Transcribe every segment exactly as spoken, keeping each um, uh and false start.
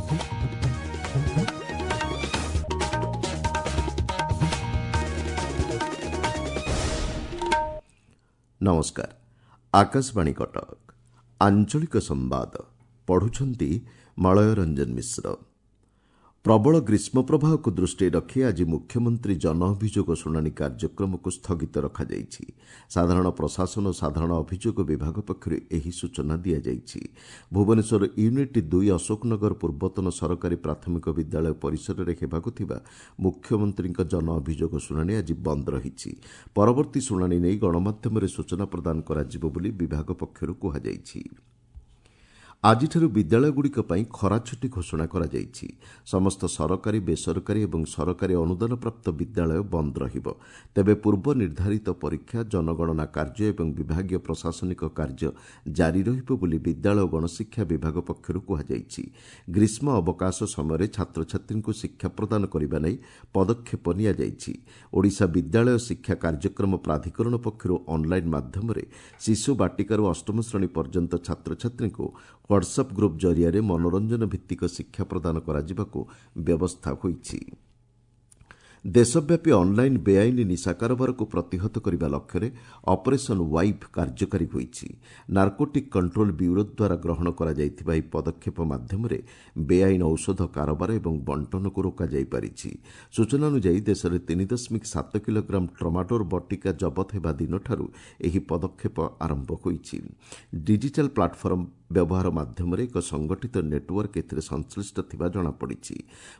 ନମସ୍କାର, ଆକାଶବାଣୀ କଟକ। ଆଞ୍ଚଳିକ ସମ୍ବାଦ ପଢୁଛନ୍ତି ମଳୟ ରଞ୍ଜନ ମିଶ୍ର। ପ୍ରବଳ ଗ୍ରୀଷ୍ମ ପ୍ରବାହକୁ ଦୃଷ୍ଟିରେ ରଖି ଆଜି ମୁଖ୍ୟମନ୍ତ୍ରୀ ଜନ ଅଭିଯୋଗ ଶୁଣାଣି କାର୍ଯ୍ୟକ୍ରମକୁ ସ୍ଥଗିତ ରଖାଯାଇଛି। ସାଧାରଣ ପ୍ରଶାସନ ଓ ସାଧାରଣ ଅଭିଯୋଗ ବିଭାଗ ପକ୍ଷରୁ ଏହି ସୂଚନା ଦିଆଯାଇଛି। ଭୁବନେଶ୍ୱର ୟୁନିଟ୍ ଦୁଇ ଅଶୋକନଗର ପୂର୍ବତନ ସରକାରୀ ପ୍ରାଥମିକ ବିଦ୍ୟାଳୟ ପରିସରରେ ହେବାକୁ ଥିବା ମୁଖ୍ୟମନ୍ତ୍ରୀଙ୍କ ଜନ ଅଭିଯୋଗ ଶୁଣାଣି ଆଜି ବନ୍ଦ ରହିଛି। ପରବର୍ତ୍ତୀ ଶୁଣାଣି ନେଇ ଗଣମାଧ୍ୟମରେ ସୂଚନା ପ୍ରଦାନ କରାଯିବ ବୋଲି ବିଭାଗ ପକ୍ଷରୁ କୁହାଯାଇଛି। ଆଜିଠାରୁ ବିଦ୍ୟାଳୟଗୁଡ଼ିକ ପାଇଁ ଖରାଛୁଟି ଘୋଷଣା କରାଯାଇଛି। ସମସ୍ତ ସରକାରୀ, ବେସରକାରୀ ଏବଂ ସରକାରୀ ଅନୁଦାନପ୍ରାପ୍ତ ବିଦ୍ୟାଳୟ ବନ୍ଦ ରହିବ। ତେବେ ପୂର୍ବ ନିର୍ଦ୍ଧାରିତ ପରୀକ୍ଷା, ଜନଗଣନା କାର୍ଯ୍ୟ ଏବଂ ବିଭାଗୀୟ ପ୍ରଶାସନିକ କାର୍ଯ୍ୟ ଜାରି ରହିବ ବୋଲି ବିଦ୍ୟାଳୟ ଓ ଗଣଶିକ୍ଷା ବିଭାଗ ପକ୍ଷରୁ କୁହାଯାଇଛି। ଗ୍ରୀଷ୍ମ ଅବକାଶ ସମୟରେ ଛାତ୍ରଛାତ୍ରୀଙ୍କୁ ଶିକ୍ଷା ପ୍ରଦାନ କରିବା ନେଇ ପଦକ୍ଷେପ ନିଆଯାଇଛି। ଓଡ଼ିଶା ବିଦ୍ୟାଳୟ ଶିକ୍ଷା କାର୍ଯ୍ୟକ୍ରମ ପ୍ରାଧିକରଣ ପକ୍ଷରୁ ଅନ୍ଲାଇନ୍ ମାଧ୍ୟମରେ ଶିଶୁ ବାଟିକାରୁ ଅଷ୍ଟମ ଶ୍ରେଣୀ ପର୍ଯ୍ୟନ୍ତ ଛାତ୍ରଛାତ୍ରୀଙ୍କୁ ହ୍ୱାଟ୍ସଆପ୍ ଗ୍ରୁପ୍ ଜରିଆରେ ମନୋରଞ୍ଜନ ଭିତ୍ତିକ ଶିକ୍ଷା ପ୍ରଦାନ କରାଯିବାକୁ ବ୍ୟବସ୍ଥା ହୋଇଛି। ଦେଶବ୍ୟାପୀ ଅନ୍ଲାଇନ୍ ବେଆଇନ ନିଶା କାରବାରକୁ ପ୍ରତିହତ କରିବା ଲକ୍ଷ୍ୟରେ ଅପରେସନ୍ ୱାଇଫ୍ କାର୍ଯ୍ୟକାରୀ ହୋଇଛି। ନାର୍କୋଟିକ୍ କଣ୍ଟ୍ରୋଲ ବ୍ୟୁରୋ ଦ୍ୱାରା ଗ୍ରହଣ କରାଯାଇଥିବା ଏହି ପଦକ୍ଷେପ ମାଧ୍ୟମରେ ବେଆଇନ ଔଷଧ କାରବାର ଏବଂ ବଣ୍ଟନକୁ ରୋକାଯାଇପାରିଛି। ସୂଚନା ଅନୁଯାୟୀ ଦେଶରେ ତିନି ଦଶମିକ ସାତ କିଲୋଗ୍ରାମ ଟ୍ରମାଡୋର ବଟିକା ଜବତ ହେବା ଦିନଠାରୁ ଏହି ପଦକ୍ଷେପ ଆରମ୍ଭ ହୋଇଛି। ଡିଜିଟାଲ୍ ପ୍ଲାଟଫର୍ମ ବ୍ୟବହାର ମାଧ୍ୟମରେ ଏକ ସଂଗଠିତ ନେଟୱାର୍କ ଏଥିରେ ସଂଶ୍ଳିଷ୍ଟ ଥିବା ଜଣାପଡ଼ିଛି।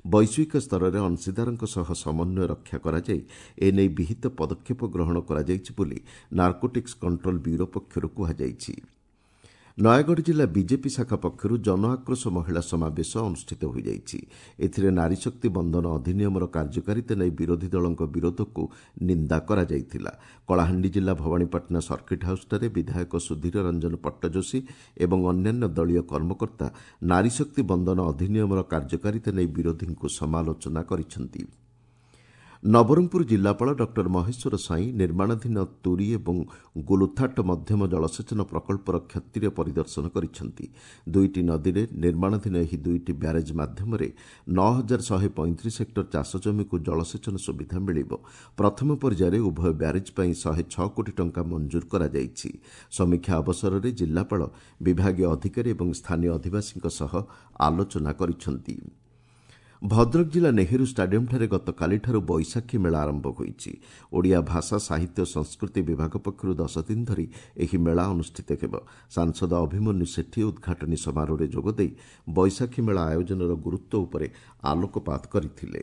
ବୈଶ୍ୱିକ ସ୍ତରରେ ଅଂଶୀଦାରଙ୍କ ସହ ସମନ୍ୱୟ ରକ୍ଷା କରାଯାଇ ଏନେଇ ବିହିତ ପଦକ୍ଷେପ ଗ୍ରହଣ କରାଯାଇଛି ବୋଲି ନାର୍କୋଟିକ୍ସ କଣ୍ଟ୍ରୋଲ ବ୍ୟୁରୋ ପକ୍ଷରୁ କୁହାଯାଇଛି। ନୟାଗଡ଼ ଜିଲ୍ଲା ବିଜେପି ଶାଖା ପକ୍ଷରୁ ଜନ ଆକ୍ରୋଶ ମହିଳା ସମାବେଶ ଅନୁଷ୍ଠିତ ହୋଇଯାଇଛି। ଏଥିରେ ନାରୀଶକ୍ତି ବନ୍ଦନ ଅଧିନିୟମର କାର୍ଯ୍ୟକାରିତା ନେଇ ବିରୋଧୀ ଦଳଙ୍କ ବିରୋଧକୁ ନିନ୍ଦା କରାଯାଇଥିଲା। କଳାହାଣ୍ଡି ଜିଲ୍ଲା ଭବାନୀପାଟଣା ସର୍କିଟ୍ ହାଉସ୍ଠାରେ ବିଧାୟକ ସୁଧୀର ରଞ୍ଜନ ପଟ୍ଟଯୋଶୀ ଏବଂ ଅନ୍ୟାନ୍ୟ ଦଳୀୟ କର୍ମକର୍ତ୍ତା ନାରୀଶକ୍ତି ବନ୍ଦନ ଅଧିନିୟମର କାର୍ଯ୍ୟକାରିତା ନେଇ ବିରୋଧୀଙ୍କୁ ସମାଲୋଚନା କରିଛନ୍ତି। ନବରଙ୍ଗପୁର ଜିଲ୍ଲାପାଳ ଡକ୍ଟର ମହେଶ୍ୱର ସ୍ୱାଇଁ ନିର୍ମାଣାଧୀନ ତୁରୀ ଏବଂ ଗୁଲୁଥାଟ ମଧ୍ୟମ ଜଳସେଚନ ପ୍ରକଳ୍ପର କ୍ଷତିର ପରିଦର୍ଶନ କରିଛନ୍ତି। ଦୁଇଟି ନଦୀରେ ନିର୍ମାଣାଧୀନ ଏହି ଦୁଇଟି ବ୍ୟାରେଜ୍ ମାଧ୍ୟମରେ ନଅ ହଜାର ଶହେ ପଇଁତିରିଶ ହେକ୍ଟର ଚାଷ ଜମିକୁ ଜଳସେଚନ ସୁବିଧା ମିଳିବ। ପ୍ରଥମ ପର୍ଯ୍ୟାୟରେ ଉଭୟ ବ୍ୟାରେଜ୍ ପାଇଁ ଶହେ ଛଅ କୋଟି ଟଙ୍କା ମଞ୍ଜୁର କରାଯାଇଛି। ସମୀକ୍ଷା ଅବସରରେ ଜିଲ୍ଲାପାଳ ବିଭାଗୀୟ ଅଧିକାରୀ ଏବଂ ସ୍ଥାନୀୟ ଅଧିବାସୀଙ୍କ ସହ ଆଲୋଚନା କରିଛନ୍ତି। ଭଦ୍ରକ ଜିଲ୍ଲା ନେହେରୁ ଷ୍ଟାଡିୟମ୍ଠାରେ ଗତକାଲିଠାରୁ ବୈଶାଖୀ ମେଳା ଆରମ୍ଭ ହୋଇଛି। ଓଡ଼ିଆ ଭାଷା, ସାହିତ୍ୟ ଓ ସଂସ୍କୃତି ବିଭାଗ ପକ୍ଷରୁ ଦଶ ଦିନ ଧରି ଏହି ମେଳା ଅନୁଷ୍ଠିତ ହେବ। ସାଂସଦ ଅଭିମନ୍ୟୁ ସେଠୀ ଉଦ୍ଘାଟନୀ ସମାରୋହରେ ଯୋଗଦେଇ ବୈଶାଖୀ ମେଳା ଆୟୋଜନର ଗୁରୁତ୍ୱ ଉପରେ ଆଲୋକପାତ କରିଥିଲେ।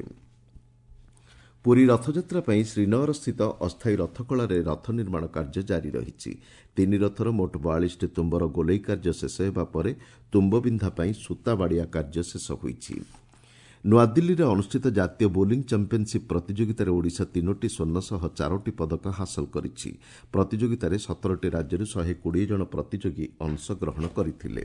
ପୁରୀ ରଥଯାତ୍ରା ପାଇଁ ଶ୍ରୀନଅରସ୍ଥିତ ଅସ୍ଥାୟୀ ରଥକଳାରେ ରଥ ନିର୍ମାଣ କାର୍ଯ୍ୟ ଜାରି ରହିଛି। ତିନି ରଥର ମୋଟ ବୟାଳିଶଟି ତୁମ୍ବର ଗୋଲେଇ କାର୍ଯ୍ୟ ଶେଷ ହେବା ପରେ ତୁମ୍ବବିନ୍ଧା ପାଇଁ ସୂତା ବାଡ଼ିଆ କାର୍ଯ୍ୟ ଶେଷ ହୋଇଛି। ନୂଆଦିଲ୍ଲୀରେ ଅନୁଷ୍ଠିତ ଜାତୀୟ ବୋଲିଂ ଚାମ୍ପିୟନସିପ୍ ପ୍ରତିଯୋଗିତାରେ ଓଡ଼ିଶା ତିନୋଟି ସ୍ୱର୍ଣ୍ଣ ସହ ଚାରୋଟି ପଦକ ହାସଲ କରିଛି। ପ୍ରତିଯୋଗିତାରେ ସତରଟି ରାଜ୍ୟରୁ ଶହେ କୋଡ଼ିଏ ଜଣ ପ୍ରତିଯୋଗୀ ଅଂଶଗ୍ରହଣ କରିଥିଲେ।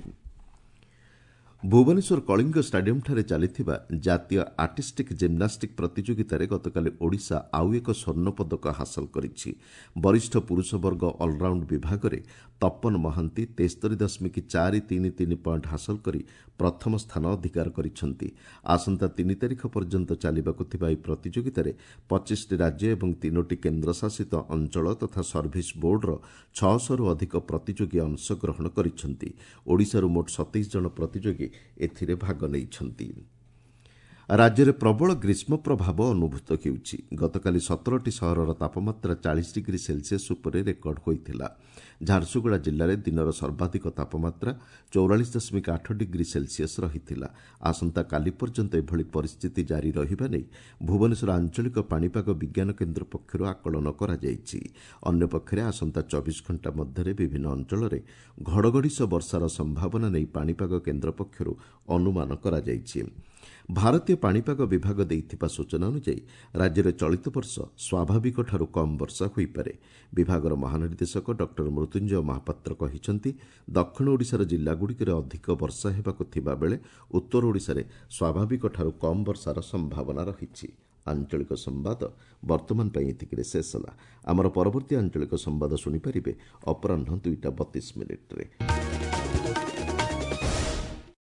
ଭୁବନେଶ୍ୱର କଳିଙ୍ଗ ଷ୍ଟାଡିୟମ୍ଠାରେ ଚାଲିଥିବା ଜାତୀୟ ଆର୍ଟିଷ୍ଟିକ୍ ଜିମ୍ନାଷ୍ଟିକ୍ ପ୍ରତିଯୋଗିତାରେ ଗତକାଲି ଓଡ଼ିଶା ଆଉ ଏକ ସ୍ୱର୍ଣ୍ଣ ପଦକ ହାସଲ କରିଛି। ବରିଷ୍ଠ ପୁରୁଷ ବର୍ଗ ଅଲରାଉଣ୍ଡ ବିଭାଗରେ ତପନ ମହାନ୍ତି ତେସ୍ତରୀ ଦଶମିକ ଚାରି ତିନି ତିନି ପଏଣ୍ଟ ହାସଲ କରି ପ୍ରଥମ ସ୍ଥାନ ଅଧିକାର କରିଛନ୍ତି। ଆସନ୍ତା ତିନି ତାରିଖ ପର୍ଯ୍ୟନ୍ତ ଚାଲିବାକୁ ଥିବା ଏହି ପ୍ରତିଯୋଗିତାରେ ପଚିଶଟି ରାଜ୍ୟ ଏବଂ ତିନୋଟି କେନ୍ଦ୍ରଶାସିତ ଅଞ୍ଚଳ ତଥା ସର୍ଭିସ ବୋର୍ଡର ଛଅଶହରୁ ଅଧିକ ପ୍ରତିଯୋଗୀ ଅଂଶଗ୍ରହଣ କରିଛନ୍ତି। ଓଡ଼ିଶାରୁ ମୋଟ ସତେଇଶ ଜଣ ପ୍ରତିଯୋଗୀ ଏଥିରେ ଭାଗ ନେଇଛନ୍ତି। ରାଜ୍ୟରେ ପ୍ରବଳ ଗ୍ରୀଷ୍ମ ପ୍ରଭାବ ଅନୁଭୂତ ହେଉଛି। ଗତକାଲି ସତରଟି ସହରର ତାପମାତ୍ରା ଚାଳିଶ ଡିଗ୍ରୀ ସେଲସିୟସ୍ ଉପରେ ରେକର୍ଡ ହୋଇଥିଲା। ଝାରସୁଗୁଡ଼ା ଜିଲ୍ଲାରେ ଦିନର ସର୍ବାଧିକ ତାପମାତ୍ରା ଚଉରାଳିଶ ଦଶମିକ ଆଠ ଡିଗ୍ରୀ ସେଲସିୟସ୍ ରହିଥିଲା। ଆସନ୍ତାକାଲି ପର୍ଯ୍ୟନ୍ତ ଏଭଳି ପରିସ୍ଥିତି ଜାରି ରହିବା ନେଇ ଭୁବନେଶ୍ୱର ଆଞ୍ଚଳିକ ପାଣିପାଗ ବିଜ୍ଞାନ କେନ୍ଦ୍ର ପକ୍ଷରୁ ଆକଳନ କରାଯାଇଛି। ଅନ୍ୟପକ୍ଷରେ ଆସନ୍ତା ଚବିଶ ଘଣ୍ଟା ମଧ୍ୟରେ ବିଭିନ୍ନ ଅଞ୍ଚଳରେ ଘଡ଼ଘଡ଼ି ସହ ବର୍ଷାର ସମ୍ଭାବନା ନେଇ ପାଣିପାଗ କେନ୍ଦ୍ର ପକ୍ଷରୁ ଅନୁମାନ କରାଯାଇଛି। ଭାରତୀୟ ପାଣିପାଗ ବିଭାଗ ଦେଇଥିବା ସୂଚନା ଅନୁଯାୟୀ ରାଜ୍ୟରେ ଚଳିତ ବର୍ଷ ସ୍ୱାଭାବିକଠାରୁ କମ୍ ବର୍ଷା ହୋଇପାରେ। ବିଭାଗର ମହାନିର୍ଦ୍ଦେଶକ ଡକ୍ଟର ମୃତ୍ୟୁଞ୍ଜୟ ମହାପାତ୍ର କହିଛନ୍ତି, ଦକ୍ଷିଣ ଓଡ଼ିଶାର ଜିଲ୍ଲାଗୁଡ଼ିକରେ ଅଧିକ ବର୍ଷା ହେବାକୁ ଥିବାବେଳେ ଉତ୍ତର ଓଡ଼ିଶାରେ ସ୍ୱାଭାବିକଠାରୁ କମ୍ ବର୍ଷାର ସମ୍ଭାବନା ରହିଛି। ଆଞ୍ଚଳିକ ସମ୍ବାଦ ବର୍ତ୍ତମାନ ପାଇଁ ଏତିକିରେ ଶେଷ ହେଲା। ଆମର ପରବର୍ତ୍ତୀ ଆଞ୍ଚଳିକ ସମ୍ବାଦ ଶୁଣିପାରିବେ ଅପରାହ୍ନ ଦୁଇଟା ବତିଶ ମିନିଟ୍ରେ।